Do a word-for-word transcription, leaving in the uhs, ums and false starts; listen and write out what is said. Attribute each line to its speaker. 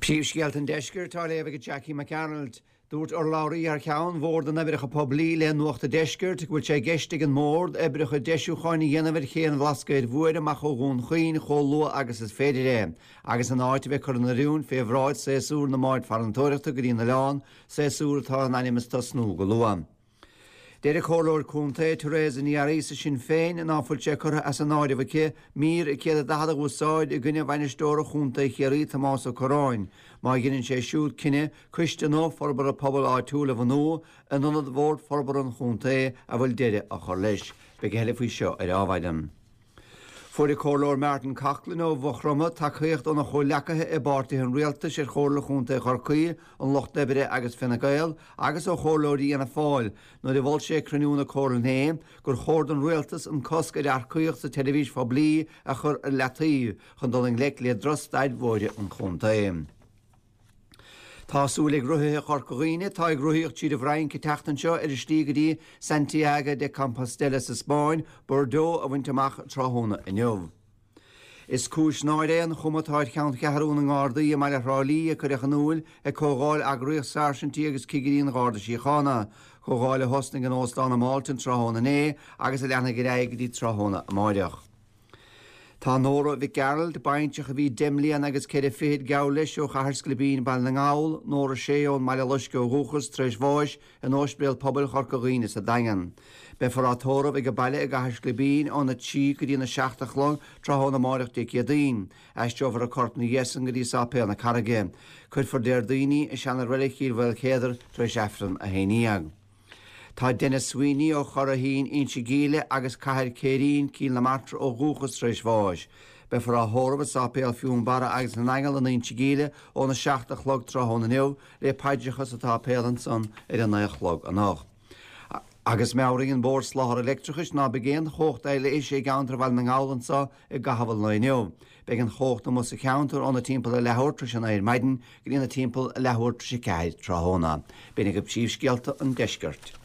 Speaker 1: Príomhscéalta an Deiscirt á léamh ag Jackie McArnold. Dúirt urlabhraí thar ceann Bhord na nOibreacha Poiblí le Nuacht an Deiscirt go bhfuil sé i gceist ag an mBord oibreacha deisiúcháin a dhéanamh ar ché an Bhlascaoid Mhóir amach ó Dhún Chaoin chomh luath agus is féidir é, agus an áit a bheith curtha in oiriúint fé bhráid séasúr na mbád farantóireachta go dtí an oileán, séasúr atá in ainm is tosnú go luath. Deir an Comhairleoir Contae Teresa Ní Fhearraigh Sinn Féin ná fuil sé curtha as an áireamh aici mír céad a daichead a úsáid i gcoinne bhainisteora Chontae Chiarraí Tomás Ó Curráin, má dheineann sé siúd cinneadh coiste nua forbartha pobail áitiúil a bhunú in ionad Bhord Forbartha an Chontae a bhfuil deireadh á chur leis. Beidh a thuilleadh faoi seo ar Adhmhaidin. Fuair an Comhairleoir Martin Coughlan ó Mhaigh Chromtha tacaíocht óna chomhghleacaithe i bpáirtithe an rialtais ar Chomhairle Chontae Chorcaí, an Lucht Oibre agus Fine Gael agus ó chomhairleoirí Fhianna Fáil nuair a mhol sé ag cruinniú na Comhairle inné gur chóir don rialtas an cosc ar earcaíocht sa tseirbhís phoiblí a chur ar leataobh chun dul i ngleic le drochstaid bhóithre an chontae. Tá súil ag rothaithe Chorca Dhuibhne atá ag rothaíocht tríd an bhFrainc an tseachtain seo ar a slí go dtí Santiago de Compostela sa Spáinn, Bordeaux a bhaint amach tráthnóna inniu. Is cúis náire é an chuma atá ar cheanncheathrú na nGardaí i mbaile Thrá Lí a cuireadh in iúl ag Comhdháil Eagraíocht Sáirsintí agus Cigirí an Gharda Síochána, comhdháil a thosnaigh in Óstán an Mhalton tráthnóna inné agus a leanfaidh ar aghaidh go dtí tráthnóna amáireach. Tá Nóra Mhic Gearailt, baintreach a bhí deich mbliana agus ceithre fichid geall leis ó Chathair Sclibín, Baile na nGall, Nóra Sé ón mBaile Loiscthe ó dhúchas tar éis bháis in Ospidéal Pobail Chorca Dhuibhne sa Daingean. Beifear á tórramh ag a baile i gCathair Sclibín óna trí go dtí na seacht a chlog tráthnóna amáireach Dé Céadaoin. Aistreofar a corp ina dhiaidh san go dtí Sáipéal na Carraige. Cuirfear Déardaoin í i seana-reilig Chill Mhaoilchéadair tar éis Aifreann a haon dhéag. Tá Denis Sweeney ó Churraichín, Inse Gíle agus Cathair Céirín, Cill na Martra ó dhúchas tar éis bháis. Beifear á thórramh i Sáipéal Fionnbarra agus na nAingeal in Inse Gíle óna seacht a chlog tráthnóna inniu le paidreacha sa tsáipéal ansan ar a naoi a chlog anocht. Agus meabhraíonn Bord Soláthair Leictreachais ná beidh aon chumhacht leighis i gceantar Bhaile na nGall anseo i gcaitheamh an lae inniu. Beidh an chumhacht amuigh sa cheantar óna timpeall a leathuair tar éis a naoi ar maidin go dtí na timpeall a leathuair tar éis a ceathair tráthnóna. B'in agaibh príomhscéalta an deiscirt.